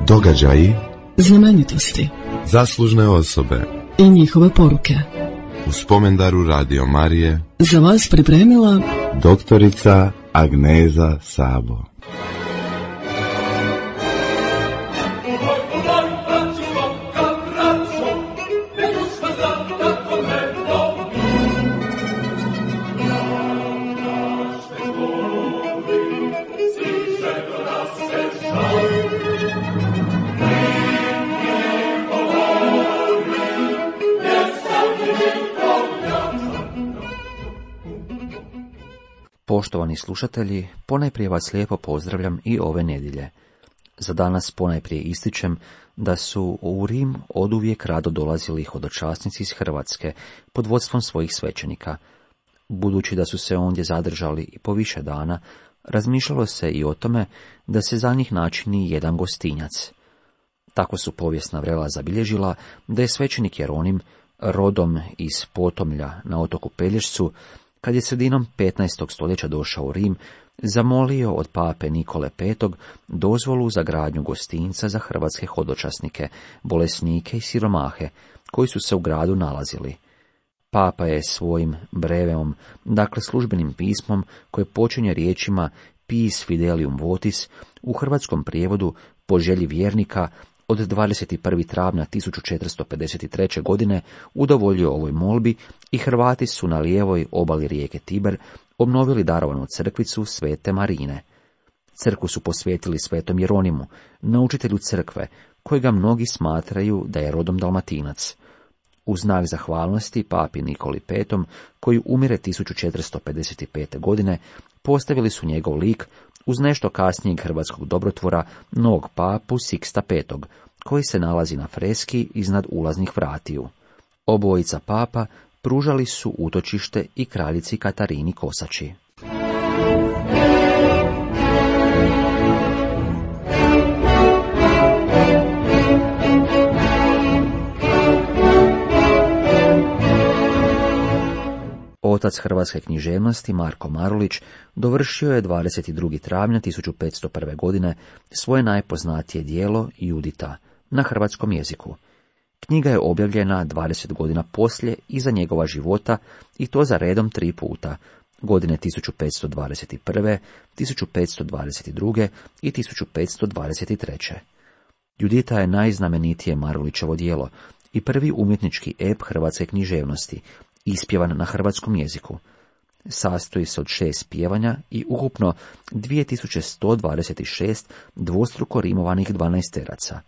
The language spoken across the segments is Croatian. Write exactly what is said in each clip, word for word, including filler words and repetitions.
Događaji, znamenitosti, zaslužne osobe i njihove poruke. U spomendaru Radio Marije za vas pripremila doktorica Agneza Sabo. Poštovani slušatelji, ponajprije vas lijepo pozdravljam i ove nedjelje. Za danas ponajprije ističem da su u Rim oduvijek rado dolazili hodočasnici iz Hrvatske pod vodstvom svojih svećenika. Budući da su se ondje zadržali i po više dana, razmišljalo se i o tome da se za njih načini jedan gostinjac. Tako su povijesna vrela zabilježila da je svećenik Jeronim, rodom iz Potomlja na otoku Pelješcu, kad je sredinom petnaestog stoljeća došao u Rim, zamolio od pape Nikole petog dozvolu za gradnju gostinca za hrvatske hodočasnike, bolesnike i siromahe, koji su se u gradu nalazili. Papa je svojim breveom, dakle službenim pismom, koje počinje riječima Pis Fidelium Votis, u hrvatskom prijevodu po želji vjernika, od dvadeset prvog travnja tisuću četiristo pedeset treće. godine udovoljio ovoj molbi i Hrvati su na lijevoj obali rijeke Tiber obnovili darovanu crkvicu Svete Marine. Crkvu su posvetili svetom Jeronimu, naučitelju crkve, kojega mnogi smatraju da je rodom Dalmatinac. U znak zahvalnosti papi Nikoli petom, koji umire tisuću četiristo pedeset pete. godine, postavili su njegov lik uz nešto kasnijeg hrvatskog dobrotvora, novog papu Siksta petog, koji se nalazi na freski iznad ulaznih vratiju. Obojica papa pružali su utočište i kraljici Katarini Kosači. Otac hrvatske književnosti Marko Marulić dovršio je dvadeset drugog travnja tisuću petsto prve. godine svoje najpoznatije djelo Judita na hrvatskom jeziku. Knjiga je objavljena dvadeset godina poslije iza njegova života i to za redom tri puta, godine tisuću petsto dvadeset prve, tisuću petsto dvadeset druge. i tisuću petsto dvadeset treće. Judita je najznamenitije Marulićevo djelo i prvi umjetnički ep hrvatske književnosti, ispjevan na hrvatskom jeziku. Sastoji se od šest pjevanja i ukupno dvije tisuće sto dvadeset šest dvostruko rimovanih dvanaesteraca.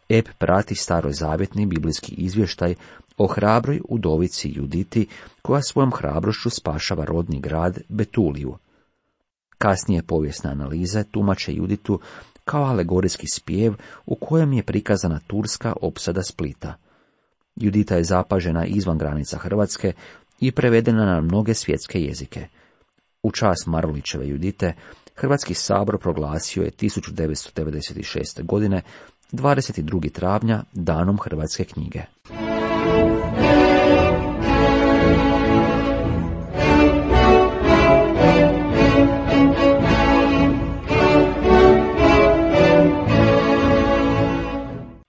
Ep prati starozavjetni biblijski izvještaj o hrabroj udovici Juditi, koja svojom hrabrošću spašava rodni grad Betuliju. Kasnije povijesne analize tumače Juditu kao alegorijski spjev u kojem je prikazana turska opsada Splita. Judita je zapažena izvan granica Hrvatske i prevedena na mnoge svjetske jezike. U čast Marulićeve Judite Hrvatski sabor proglasio je tisuću devetsto devedeset šeste. godine dvadeset drugog travnja danom hrvatske knjige.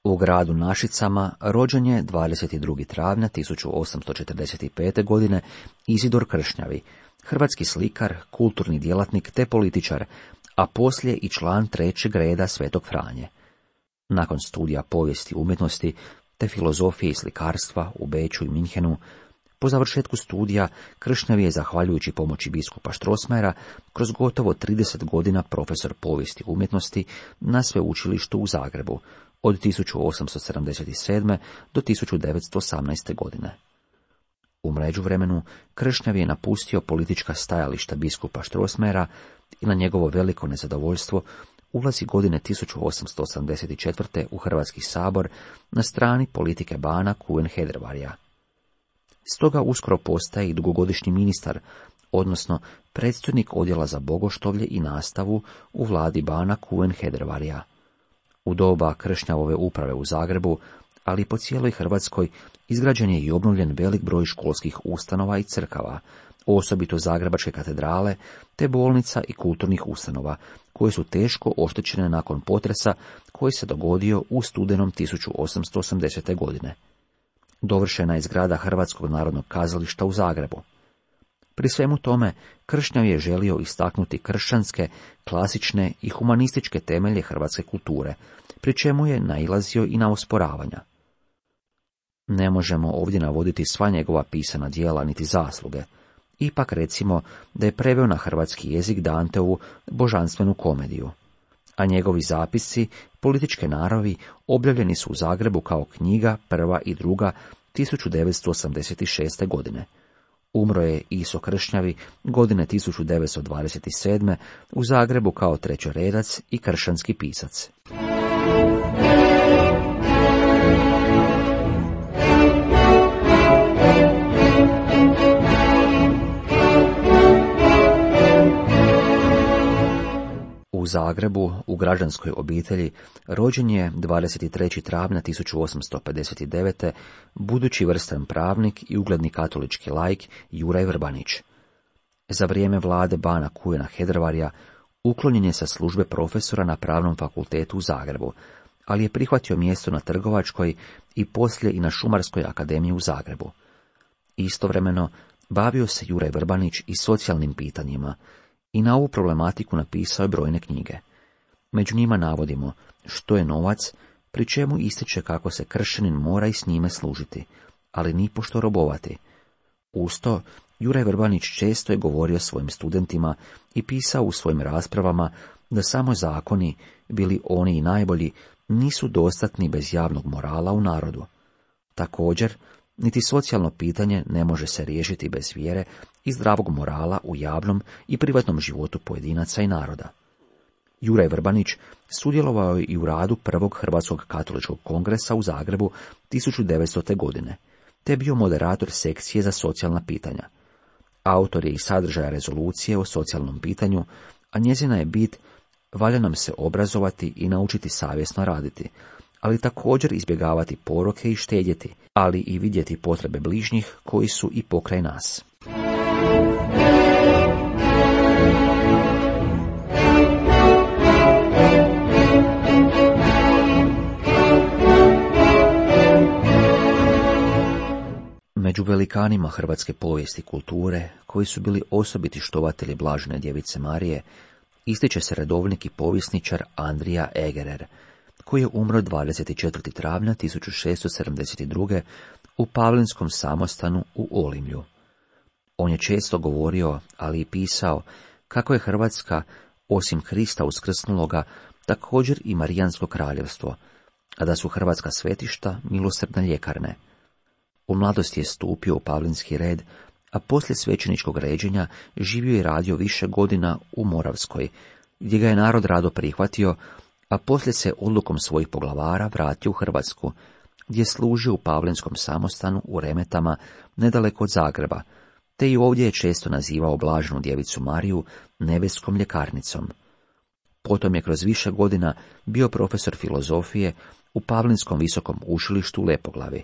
U gradu Našicama rođen je dvadeset drugog travnja tisuću osamsto četrdeset pete. godine Izidor Kršnjavi, hrvatski slikar, kulturni djelatnik te političar, a poslije i član trećeg reda Svetog Franje. Nakon studija povijesti umjetnosti te filozofije i slikarstva u Beču i Minhenu, po završetku studija Kršnjavi je, zahvaljujući pomoći biskupa Strossmayera, kroz gotovo trideset godina profesor povijesti umjetnosti na sveučilištu u Zagrebu, od tisuću osamsto sedamdeset sedme. do tisuću devetsto osamnaeste. godine. U međuvremenu Kršnjavi je napustio politička stajališta biskupa Strossmayera i na njegovo veliko nezadovoljstvo ulazi godine tisuću osamsto osamdeset četvrte. u Hrvatski sabor na strani politike bana Kuen Hedervarija. Stoga uskoro postaje i dugogodišnji ministar, odnosno predstojnik odjela za bogoštovlje i nastavu u vladi bana Kuen Hedervarija. U doba Kršnjavove uprave u Zagrebu, ali i po cijeloj Hrvatskoj, izgrađen je i obnovljen velik broj školskih ustanova i crkava, osobito zagrebačke katedrale, te bolnica i kulturnih ustanova, koje su teško oštećene nakon potresa koji se dogodio u studenom tisuću osamsto osamdesete. godine. Dovršena je zgrada Hrvatskog narodnog kazališta u Zagrebu. Pri svemu tome, Kršnjav je želio istaknuti kršćanske, klasične i humanističke temelje hrvatske kulture, pri čemu je nailazio i na osporavanja. Ne možemo ovdje navoditi sva njegova pisana djela niti zasluge. Ipak recimo da je preveo na hrvatski jezik Danteovu božanstvenu komediju, a njegovi zapisci političke naravi objavljeni su u Zagrebu kao knjiga prva i druga tisuću devetsto osamdeset šeste. godine. Umro je Iso Kršnjavi godine tisuću devetsto dvadeset sedme. u Zagrebu kao trećoredac i kršćanski pisac. U Zagrebu, u građanskoj obitelji, rođen je dvadeset trećeg travnja tisuću osamsto pedeset devete. budući vrstan pravnik i ugledni katolički laik Juraj Vrbanić. Za vrijeme vlade bana Kujuna Hedrvarja uklonjen je sa službe profesora na Pravnom fakultetu u Zagrebu, ali je prihvatio mjesto na Trgovačkoj i poslije i na Šumarskoj akademiji u Zagrebu. Istovremeno bavio se Juraj Vrbanić i socijalnim pitanjima, i na ovu problematiku napisao je brojne knjige. Među njima navodimo Što je novac, pri čemu ističe kako se kršćanin mora i s njime služiti, ali nipošto robovati. Uz to, Juraj Vrbanić često je govorio svojim studentima i pisao u svojim raspravama da samo zakoni, bili oni i najbolji, nisu dostatni bez javnog morala u narodu. Također, niti socijalno pitanje ne može se riješiti bez vjere i zdravog morala u javnom i privatnom životu pojedinaca i naroda. Juraj Vrbanić sudjelovao je i u radu prvog Hrvatskog katoličkog kongresa u Zagrebu tisuću devetstote. godine, te bio moderator sekcije za socijalna pitanja. Autor je i sadržaja rezolucije o socijalnom pitanju, a njezina je bit: valja nam se obrazovati i naučiti savjesno raditi, ali također izbjegavati poroke i štedjeti, ali i vidjeti potrebe bližnjih koji su i pokraj nas. Među velikanima hrvatske povijesti i kulture, koji su bili osobiti štovatelji blažene djevice Marije, ističe se redovnik i povjesničar Andrija Egerer, koji je umro dvadeset četvrtog travnja tisuću šesto sedamdeset druge. u Pavlinskom samostanu u Olimlju. On je često govorio, ali i pisao, kako je Hrvatska, osim Krista uskrsnuloga, također i Marijansko kraljevstvo, a da su hrvatska svetišta milosrdne ljekarne. U mladosti je stupio u Pavlinski red, a poslije svećeničkog ređenja živio i radio više godina u Moravskoj, gdje ga je narod rado prihvatio, a poslije se odlukom svojih poglavara vratio u Hrvatsku, gdje je služio u Pavlinskom samostanu u Remetama, nedaleko od Zagreba, te i ovdje je često nazivao blaženu djevicu Mariju nebeskom ljekarnicom. Potom je kroz više godina bio profesor filozofije u Pavlinskom visokom učilištu u Lepoglavi.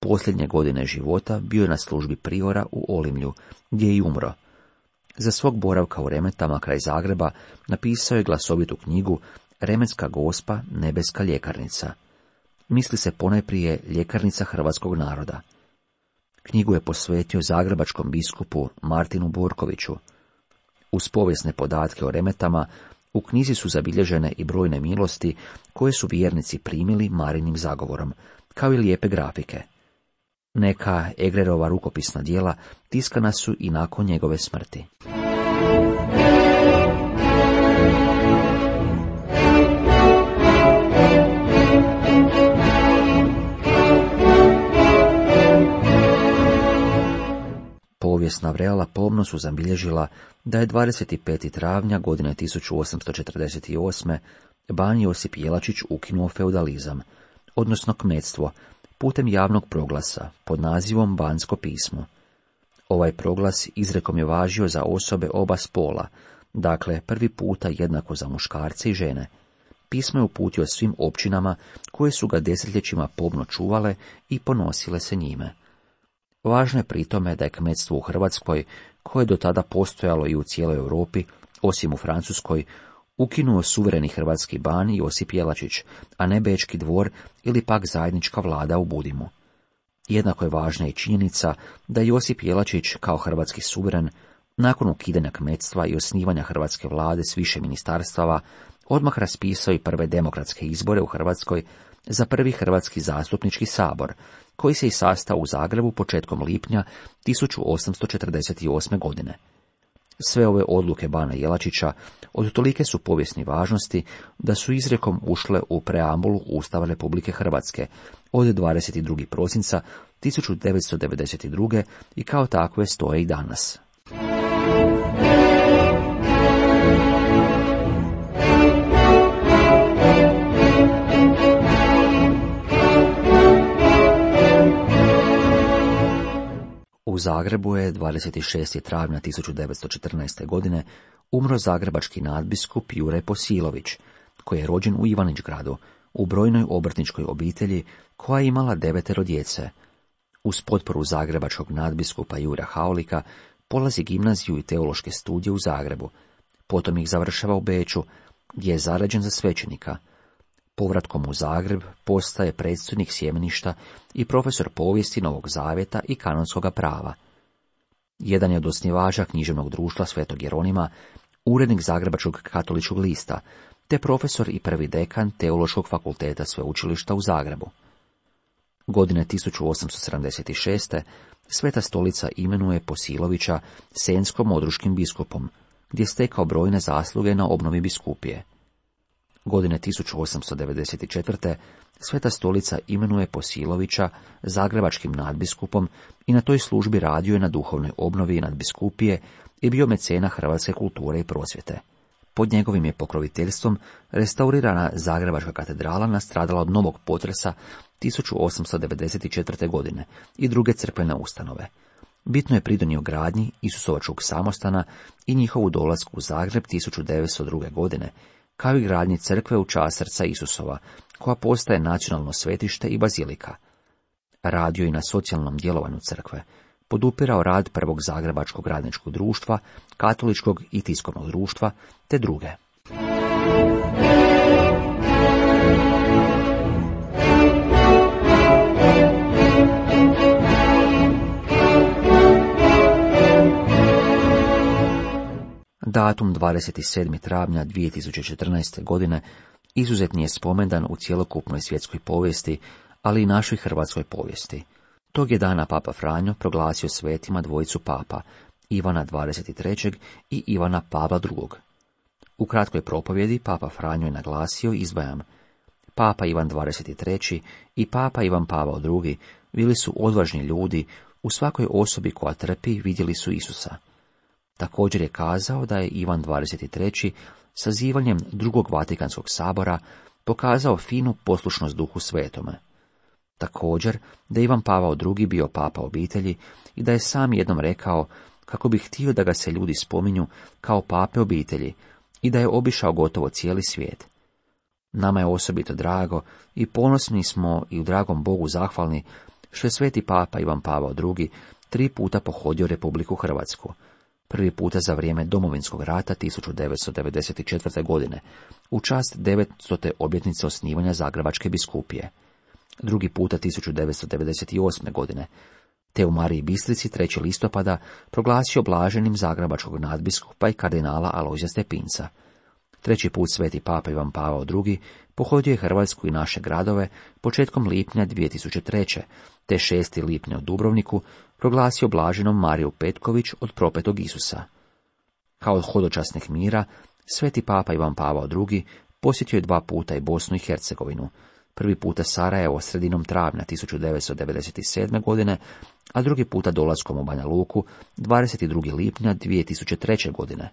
Posljednje godine života bio je na službi priora u Olimlju, gdje je i umro. Za svog boravka u Remetama kraj Zagreba napisao je glasovitu knjigu Remetska gospa, nebeska ljekarnica. Misli se ponajprije ljekarnica hrvatskog naroda. Knjigu je posvetio zagrebačkom biskupu Martinu Borkoviću. Uz povijesne podatke o Remetama, u knjizi su zabilježene i brojne milosti koje su vjernici primili Marinim zagovorom, kao i lijepe grafike. Neka Egererova rukopisna djela tiskana su i nakon njegove smrti. Povijesna vrela pomno su zabilježila da je dvadeset petog travnja godine tisuću osamsto četrdeset osme. ban Josip Jelačić ukinuo feudalizam, odnosno kmetstvo, putem javnog proglasa pod nazivom Bansko pismo. Ovaj proglas izrekom je važio za osobe oba spola, dakle prvi puta jednako za muškarce i žene. Pismo je uputio svim općinama koje su ga desetljećima pomno čuvale i ponosile se njime. Važno je pri tome da je kmetstvo u Hrvatskoj, koje je do tada postojalo i u cijeloj Europi, osim u Francuskoj, ukinuo suvereni hrvatski ban Josip Jelačić, a ne Bečki dvor ili pak zajednička vlada u Budimu. Jednako je važna i činjenica da Josip Jelačić kao hrvatski suveren, nakon ukidanja kmetstva i osnivanja hrvatske vlade s više ministarstava, odmah raspisao i prve demokratske izbore u Hrvatskoj za prvi Hrvatski zastupnički sabor, koji se i sastao u Zagrebu početkom lipnja tisuću osamsto četrdeset osme. godine. Sve ove odluke bana Jelačića od tolike su povijesne važnosti da su izrijekom ušle u preambulu Ustava Republike Hrvatske od dvadeset drugog prosinca tisuću devetsto devedeset druge. i kao takve stoje i danas. U Zagrebu je dvadeset šestog travnja tisuću devetsto četrnaeste. godine umro zagrebački nadbiskup Juraj Posilović, koji je rođen u Ivanić-gradu, u brojnoj obrtničkoj obitelji koja je imala devetero djece. Uz potporu zagrebačkog nadbiskupa Jura Haulika polazi gimnaziju i teološke studije u Zagrebu, potom ih završava u Beču, gdje je zarađen za svećenika. Povratkom u Zagreb postaje predstojnik sjemeništa i profesor povijesti Novog Zavjeta i kanonskoga prava. Jedan je od osnivača književnog društva Svetog Jeronima, urednik Zagrebačkog katoličkog lista, te profesor i prvi dekan Teološkog fakulteta sveučilišta u Zagrebu. Godine tisuću osamsto sedamdeset šeste. Sveta stolica imenuje Posilovića senjsko-modruškim biskupom, gdje je stekao brojne zasluge na obnovi biskupije. Godine tisuću osamsto devedeset četvrte. Sveta stolica imenuje Posilovića zagrebačkim nadbiskupom i na toj službi radio je na duhovnoj obnovi nadbiskupije i bio mecena hrvatske kulture i prosvjete. Pod njegovim je pokroviteljstvom restaurirana Zagrebačka katedrala nastradala od novog potresa tisuću osamsto devedeset četvrte. godine i druge crkvene ustanove. Bitno je pridonio gradnji Isusovačkog samostana i njihovu dolasku u Zagreb tisuću devetsto druge. godine, kao i gradnji crkve u čast srca Isusova, koja postaje nacionalno svetište i bazilika. Radio i na socijalnom djelovanju crkve, podupirao rad prvog Zagrebačkog radničkog društva, katoličkog i tiskovnog društva, te druge. Datum dvadeset sedmog travnja dvije tisuće četrnaeste. godine izuzetni je spomendan u cjelokupnoj svjetskoj povijesti, ali i našoj hrvatskoj povijesti. Tog je dana Papa Franjo proglasio svetima dvojicu papa, Ivana dvadeset trećeg. i Ivana Pavla drugog. U kratkoj propovjedi Papa Franjo je naglasio, izdvajam, Papa Ivan dvadeset treći. i Papa Ivan Pavao drugi. bili su odvažni ljudi, u svakoj osobi koja trpi vidjeli su Isusa. Također je kazao da je Ivan dvadeset treći. sazivanjem drugog Vatikanskog sabora pokazao finu poslušnost Duhu Svetome. Također da je Ivan Pavao drugi. bio papa obitelji i da je sam jednom rekao kako bi htio da ga se ljudi spominju kao pape obitelji i da je obišao gotovo cijeli svijet. Nama je osobito drago i ponosni smo i u dragom Bogu zahvalni što je sveti papa Ivan Pavao drugi. tri puta pohodio Republiku Hrvatsku. Prvi puta za vrijeme Domovinskog rata tisuću devetsto devedeset četvrte. godine, u čast devetstote obljetnice osnivanja Zagrebačke biskupije. Drugi puta tisuću devetsto devedeset osme. godine, te u Mariji Bistrici trećeg listopada proglasio blaženim zagrebačkog nadbiskupa i kardinala Alojzija Stepinca. Treći put sveti papa Ivan Pavao drugi. pohodio je Hrvatsku i naše gradove početkom lipnja dvije tisuće treće. te šestog lipnja u Dubrovniku proglasio blaženom Mariju Petković od propetog Isusa. Kao od hodočasnih mira, sveti papa Ivan Pavao drugi. posjetio je dva puta i Bosnu i Hercegovinu. Prvi puta Sarajevo sredinom travnja tisuću devetsto devedeset sedme. godine, a drugi puta dolaskom u Banja Luku dvadeset drugog lipnja dvije tisuće treće. godine,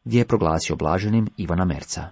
gdje je proglasio blaženim Ivana Merca.